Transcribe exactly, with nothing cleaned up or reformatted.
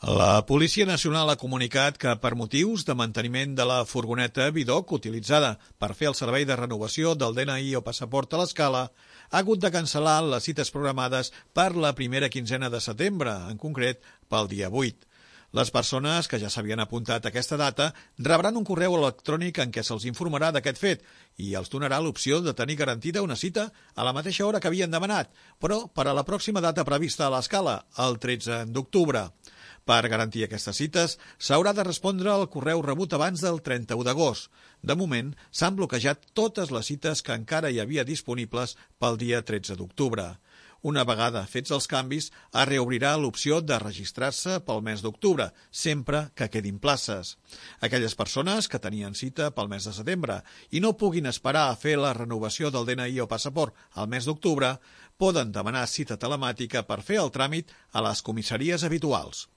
La Policia Nacional ha comunicat que per motius de manteniment de la furgoneta Bidoc utilitzada per fer el servei de renovació del D N I o passaport a l'Escala ha hagut de cancel·lar les cites programades per la primera quinzena de setembre, en concret pel dia vuit. Les persones que ja s'havien apuntat a aquesta data rebran un correu electrònic en què se'ls informarà d'aquest fet i els donarà l'opció de tenir garantida una cita a la mateixa hora que havien demanat, però per a la pròxima data prevista a l'Escala, el tretze d'octubre. Per garantir aquestes cites, s'haurà de respondre al correu rebut abans del trenta-u d'agost. De moment, s'han bloquejat totes les cites que encara hi havia disponibles pel dia tretze d'octubre. Una vegada fets els canvis, es reobrirà l'opció de registrar-se pel mes d'octubre, sempre que quedin places. Aquelles persones que tenien cita pel mes de setembre i no puguin esperar a fer la renovació del D N I o passaport al mes d'octubre, poden demanar cita telemàtica per fer el tràmit a les comissaries habituals.